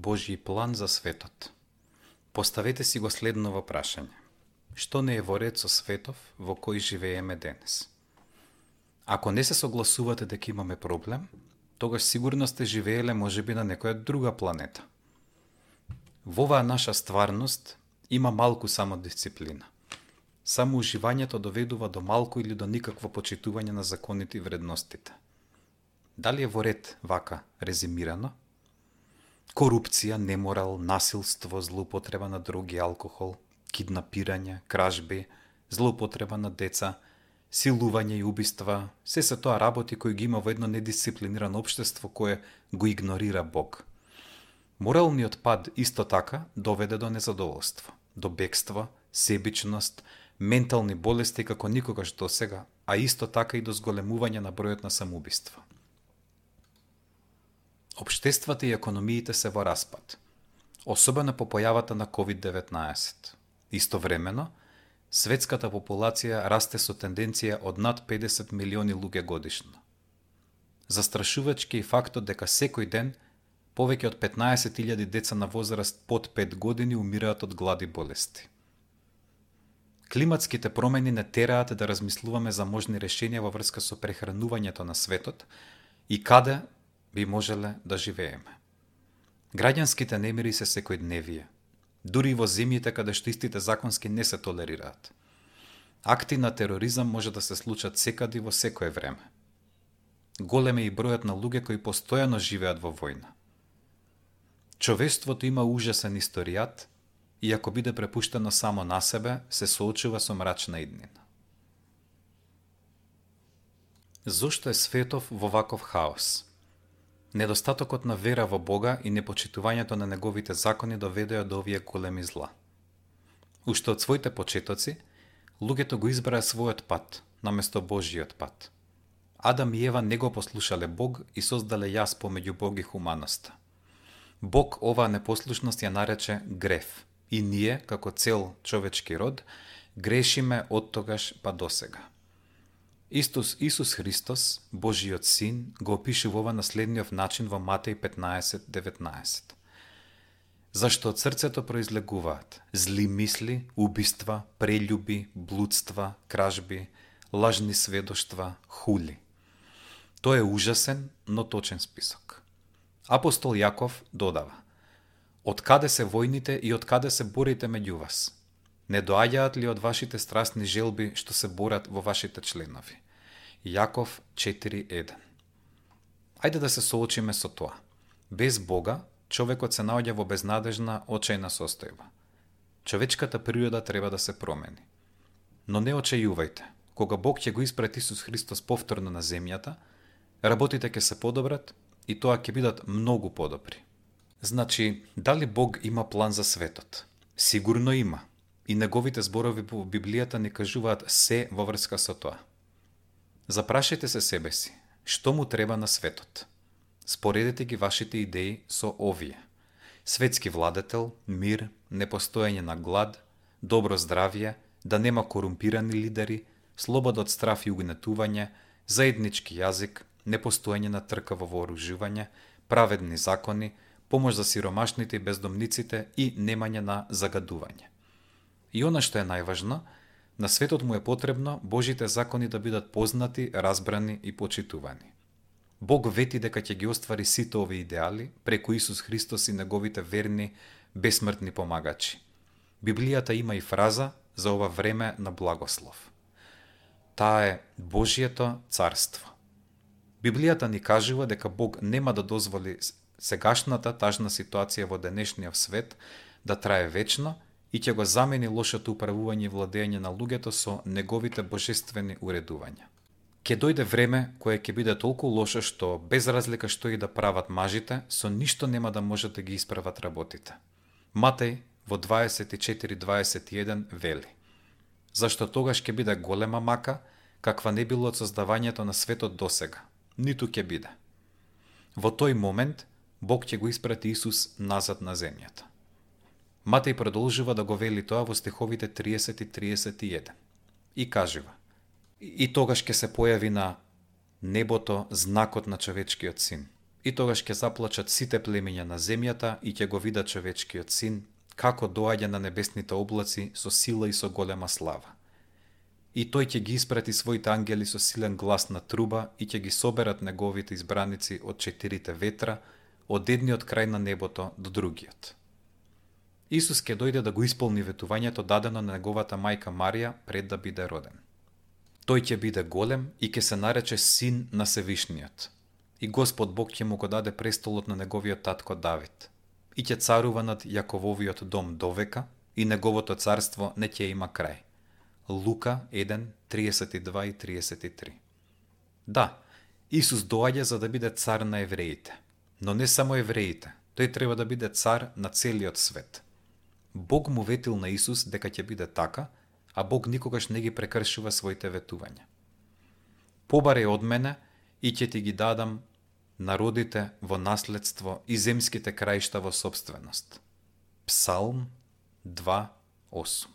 Божји план за светот. Поставете си го следново прашање. Што не е во ред со светов во кој живееме денес? Ако не се согласувате дека имаме проблем, тогаш сигурно сте живееле можеби на некоја друга планета. Во оваа наша стварност има малку самодисциплина. Само уживањето доведува до малку или до никакво почитување на законите и вредностите. Дали е во ред вака резимирано? Корупција, неморал, насилство, злоупотреба на дроги, алкохол, киднапирање, кражби, злоупотреба на деца, силување и убиства, се тоа работи кои ги има во едно недисциплинирано општество кое го игнорира Бог. Моралниот пад исто така доведе до незадоволство, до бегство, себичност, ментални болести како никогаш досега, а исто така и до зголемување на бројот на самоубиства. Општествата и економиите се во распад, особено по појавата на COVID-19. Истовремено, светската популација расте со тенденција од над 50 милиони луѓе годишно. Застрашувачки е фактот дека секој ден повеќе од 15.000 деца на возраст под 5 години умираат од глад и болести. Климатските промени не тераат да размислуваме за можни решенија во врска со прехранувањето на светот и каде би можеле да живееме. Граѓанските немири се секојдневие, дури и во земјите каде што истите законски не се толерираат. Акти на тероризам може да се случат секаде во секое време. Голем е и бројот на луѓе кои постојано живеат во војна. Човештвото има ужасен историјат и ако биде препуштено само на себе, се соочува со мрачна иднина. Зошто е светов во ваков хаос? Недостатокот на вера во Бога и непочитувањето на неговите закони доведоа до овие големи зла. Уште од своите почетоци, луѓето го избраа својот пат, наместо Божјиот пат. Адам и Ева не го послушале Бог и создале јаз помеѓу Бог и хуманоста. Бог оваа непослушност ја нарече грев и ние, како цел човечки род, грешиме од тогаш па досега. Исус Христос, Божиот Син, го опишува ова на следниот начин во Матеј 15:19. Зашто од срцето произлегуваат зли мисли, убиства, прељуби, блудства, кражби, лажни сведоштва, хули. Тоа е ужасен, но точен список. Апостол Јаков додава: Од каде се војните и од каде се борите меѓу вас? Не доаѓаат ли од вашите страстни желби што се борат во вашите членови? Јаков 4:1. Ајде да се соочиме со тоа. Без Бога, човекот се наоѓа во безнадежна, очајна состојба. Човечката природа треба да се промени. Но не очајувајте. Кога Бог ќе го испрати Исус Христос повторно на земјата, работите ќе се подобрат и тоа ќе бидат многу подобри. Значи, дали Бог има план за светот? Сигурно има. И неговите зборови во Библијата ни кажуваат се во врска со тоа. Запрашајте се себе си, што му треба на светот? Споредете ги вашите идеи со овие. Светски владетел, мир, непостојање на глад, добро здравје, да нема корумпирани лидери, слобода од страф и угнетување, заеднички јазик, непостојање на трка во вооружување, праведни закони, помош за сиромашните и бездомниците и немање на загадување. И она што е најважно, на светот му е потребно Божите закони да бидат познати, разбрани и почитувани. Бог вети дека ќе ги оствари сите овие идеали преку Исус Христос и неговите верни, бесмртни помагачи. Библијата има и фраза за ова време на благослов. Таа е Божјето царство. Библијата ни кажува дека Бог нема да дозволи сегашната тажна ситуација во денешниот свет да трае вечно и ќе го замени лошото управување и владење на луѓето со неговите божествени уредувања. Ке дојде време кое ќе биде толку лошо што, без разлика што и да прават мажите, со ништо нема да можат да ги исправат работите. Матеј во 24:21 вели: Зашто тогаш ќе биде голема мака, каква не било од создавањето на светот досега, ниту ќе биде. Во тој момент, Бог ќе го испрати Исус назад на земјата. Матеј продолжува да го вели тоа во стиховите 30 и 31 и кажува: И тогаш ќе се појави на небото знакот на човечкиот син, и тогаш ќе заплачат сите племиња на земјата и ќе го видат човечкиот син, како доаѓа на небесните облаци со сила и со голема слава. И тој ќе ги испрати своите ангели со силен глас на труба и ќе ги соберат неговите избраници од 4 ветра, од едниот крај на небото до другиот. Исус ќе дојде да го исполни ветувањето дадено на неговата мајка Марија пред да биде роден. Тој ќе биде голем и ќе се нарече Син на Севишниот. И Господ Бог ќе му го даде престолот на неговиот татко Давид. И ќе царува над Јакововиот дом довека и неговото царство не ќе има крај. Лука 1, 32 и 33. Да, Исус доаѓа за да биде цар на евреите. Но не само евреите, тој треба да биде цар на целиот свет. Бог му ветил на Исус дека ќе биде така, а Бог никогаш не ги прекршува своите ветувања. Побаре од мене и ќе ти ги дадам народите во наследство и земските краишта во собственост. Псалм 2:8.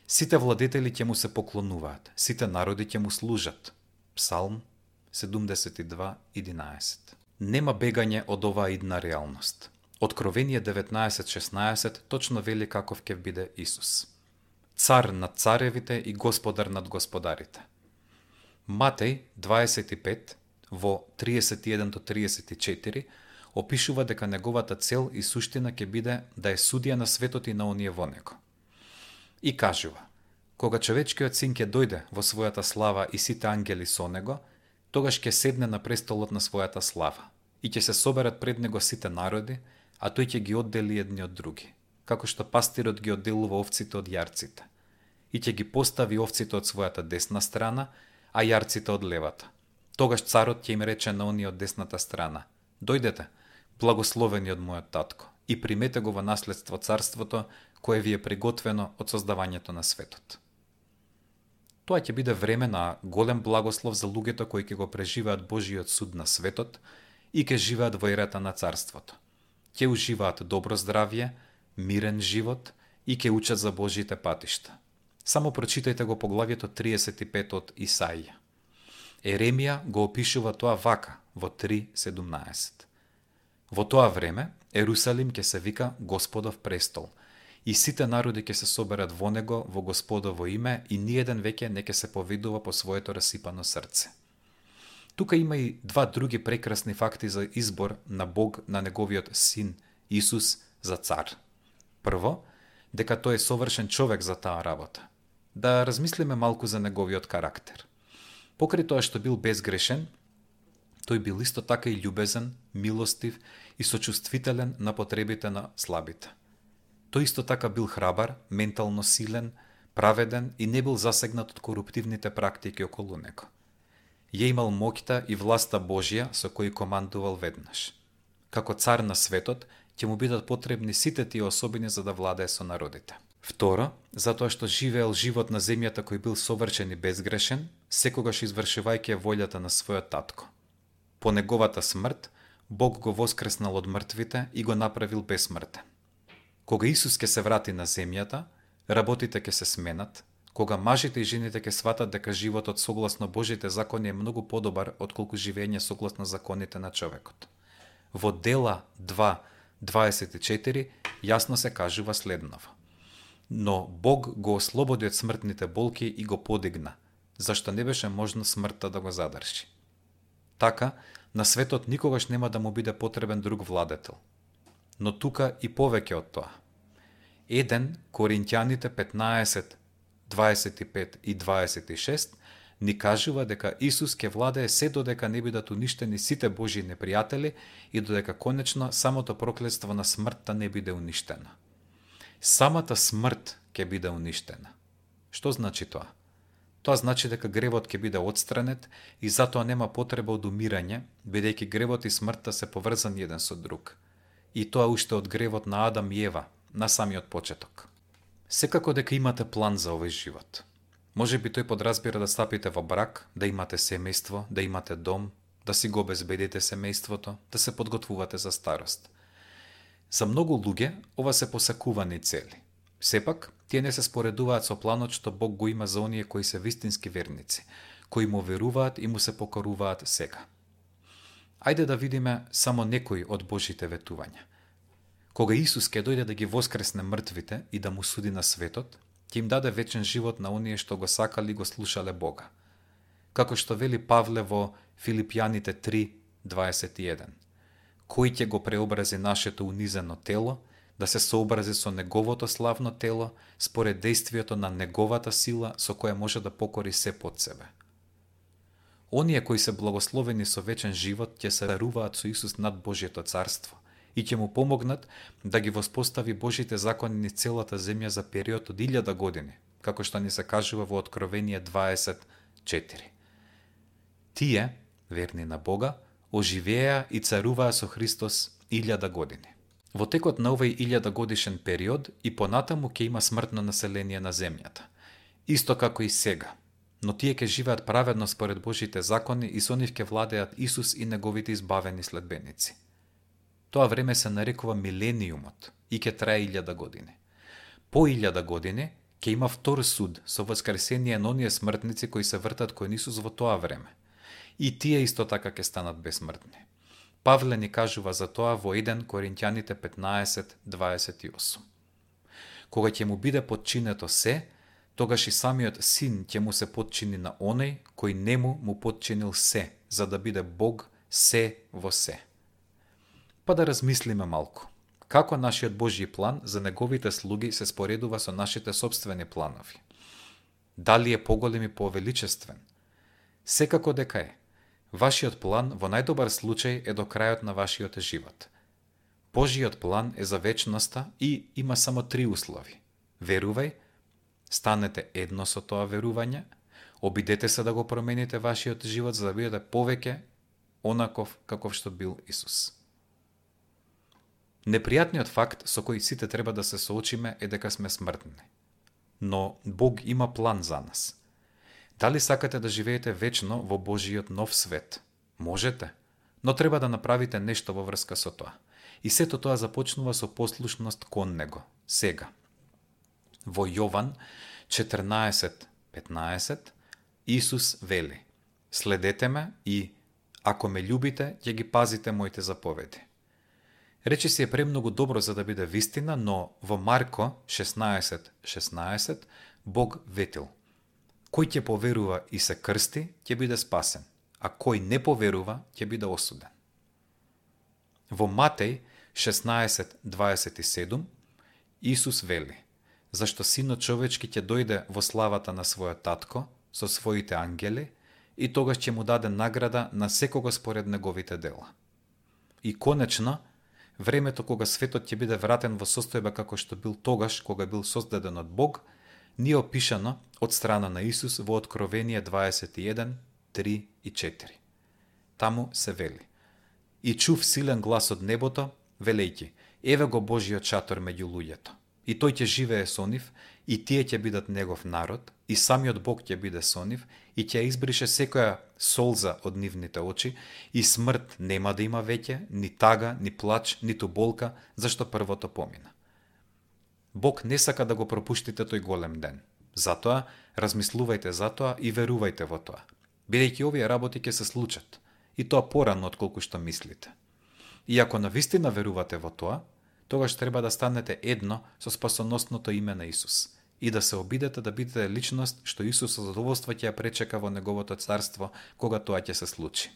Сите владетели ќе му се поклонуваат, сите народи ќе му служат. Псалм 72:11. Нема бегање од оваа идна реалност. Откровение 19:16 точно вели каков ќе биде Исус. Цар над царевите и господар над господарите. Матеј 25 во 31 до 34 опишува дека неговата цел и суштина ќе биде да е судија на светот и на оние во него. И кажува: кога човечкиот син ќе дојде во својата слава и сите ангели со него, тогаш ќе седне на престолот на својата слава и ќе се соберат пред него сите народи, а тој ќе ги оддели едни од други, како што пастирот ги одделува овците од јарците, и ќе ги постави овците од својата десна страна, а јарците од левата. Тогаш царот ќе им рече на оние од десната страна: дојдете, благословени од мојот татко, и примете го во наследство царството кое ви е приготвено од создавањето на светот. Тоа ќе биде време на голем благослов за луѓето кои ќе го преживеат Божиот суд на светот и ќе живеат во ерата на царството. Ќе уживаат добро здравје, мирен живот и ќе учат за Божите патишта. Само прочитајте го поглавјето 35 од Исаија. Еремија го опишува тоа вака во 3:17. Во тоа време Ерусалим ќе се вика Господов престол и сите народи ќе се соберат во него во Господово име и ниеден веќе не ќе се повидува по своето расипано срце. Тука има и два други прекрасни факти за избор на Бог на неговиот син Исус за цар. Прво, дека тој е совршен човек за таа работа. Да размислиме малку за неговиот карактер. Покрај тоа што бил безгрешен, тој бил исто така и љубезен, милостив и сочувствителен на потребите на слабите. Тој исто така бил храбар, ментално силен, праведен и не бил засегнат од коруптивните практики околу него. Ја имал моќта и власта Божја со кој командувал веднаш. Како цар на светот, ќе му бидат потребни сите тие особини за да владее со народите. Второ, затоа што живеел живот на земјата кој бил совршен и безгрешен, секогаш извршувајќи волјата на својот татко. По неговата смрт, Бог го воскреснал од мртвите и го направил бесмртен. Кога Исус ќе се врати на земјата, работите ќе се сменат, кога мажите и жените ќе сватат дека животот согласно Божите закони е многу подобар отколку живење согласно законите на човекот. Во Дела 2:24 јасно се кажува следново: но Бог го ослободи од смртните болки и го подигна, зашто не беше можно смртта да го задржи. Така, на светот никогаш нема да му биде потребен друг владетел. Но тука и повеќе од тоа. 1 Коринќаните 15, 25 и 26 ни кажува дека Исус ќе владее се додека не бидат уништени сите Божји непријатели и додека конечно самото проклетство на смртта не биде уништено. Самата смрт ќе биде уништена. Што значи тоа? Тоа значи дека гревот ќе биде отстранет и затоа нема потреба од умирање, бидејќи гревот и смртта се поврзани еден со друг. И тоа уште од гревот на Адам и Ева, на самиот почеток. Секако дека имате план за овој живот. Може би тој подразбира да стапите во брак, да имате семејство, да имате дом, да си го обезбедите семејството, да се подготвувате за старост. За многу луѓе ова се посакувани цели. Сепак, тие не се споредуваат со планот што Бог го има за оние кои се вистински верници, кои му веруваат и му се покоруваат сега. Ајде да видиме само некои од Божите ветувања. Кога Исус ќе дојде да ги воскресне мртвите и да му суди на светот, ќе им даде вечен живот на оние што го сакали и го слушале Бога. Како што вели Павле во Филипјаните 3:21. Кој ќе го преобрази нашето унизено тело, да се сообрази со неговото славно тело, според действието на неговата сила со која може да покори се под себе. Оние кои се благословени со вечен живот ќе се даруваат со Исус над Божјето царство и ќе му помогнат да ги воспостави Божите закони низ целата земја за период од 1000 години, како што ни се кажува во Откровение 20:4. Тие, верни на Бога, оживеа и царуваа со Христос 1000 години. Во текот на овој 1000 годишен период и понатаму ќе има смртно население на земјата, исто како и сега, но тие ќе живеат праведно според Божите закони и со нив ќе владеат Исус и неговите избавени следбеници. Тоа време се нарекува милениумот и ќе трае 1000 години. По 1000 години ќе има втор суд со воскресение на оние смртници кои се вртат кон Исус во тоа време. И тие исто така ќе станат безсмртни. Павле ни кажува за тоа во 1 Коринќаните 15:28. Кога ќе му биде подчинето се, тогаш и самиот син ќе му се подчини на оној кој нему му подчинил се, за да биде Бог се во се. Па да размислиме малку. Како нашиот Божји план за неговите слуги се споредува со нашите собствени планови? Дали е поголем и повеличествен? Секако дека е. Вашиот план во најдобар случај е до крајот на вашиот живот. Божиот план е за вечноста и има само 3 услови. Верувај, станете едно со тоа верување, обидете се да го промените вашиот живот за да бидете повеќе онаков каков што бил Исус. Непријатниот факт со кој сите треба да се соочиме е дека сме смртни. Но Бог има план за нас. Дали сакате да живеете вечно во Божиот нов свет? Можете, но треба да направите нешто во врска со тоа. И сето тоа започнува со послушност кон Него, сега. Во Јован 14:15 Исус вели: Следете ме и, ако ме љубите, ќе ги пазите моите заповеди. Речи си е премногу добро за да биде вистина, но во Марко 16:16 Бог ветил: Кој ќе поверува и се крсти, ќе биде спасен, а кој не поверува, ќе биде осуден. Во Матеј 16:27 Исус вели: Зашто Синот човечки ќе дојде во славата на својот татко со своите ангели и тогаш ќе му даде награда на секого според неговите дела. И конечно, времето кога светот ќе биде вратен во состојба како што бил тогаш кога бил создаден од Бог, ни е опишано од страна на Исус во Откровение 21:3 и 4. Таму се вели: И чув силен глас од небото, велејќи: Еве го Божиот шатор меѓу луѓето. И тој ќе живее со нив, и тие ќе бидат негов народ, и самиот Бог ќе биде со нив, и ќе избрише секоја солза од нивните очи, и смрт нема да има веќе, ни тага, ни плач, ниту болка, зашто првото помина. Бог не сака да го пропуштите тој голем ден. Затоа, размислувајте за тоа и верувајте во тоа, бидејќи овие работи ќе се случат, и тоа порано отколку што мислите. И ако навистина верувате во тоа, тогаш треба да станете едно со спасоносното име на Исус и да се обидете да бидете личност што Исус со задоволство ќе ја пречека во неговото царство кога тоа ќе се случи.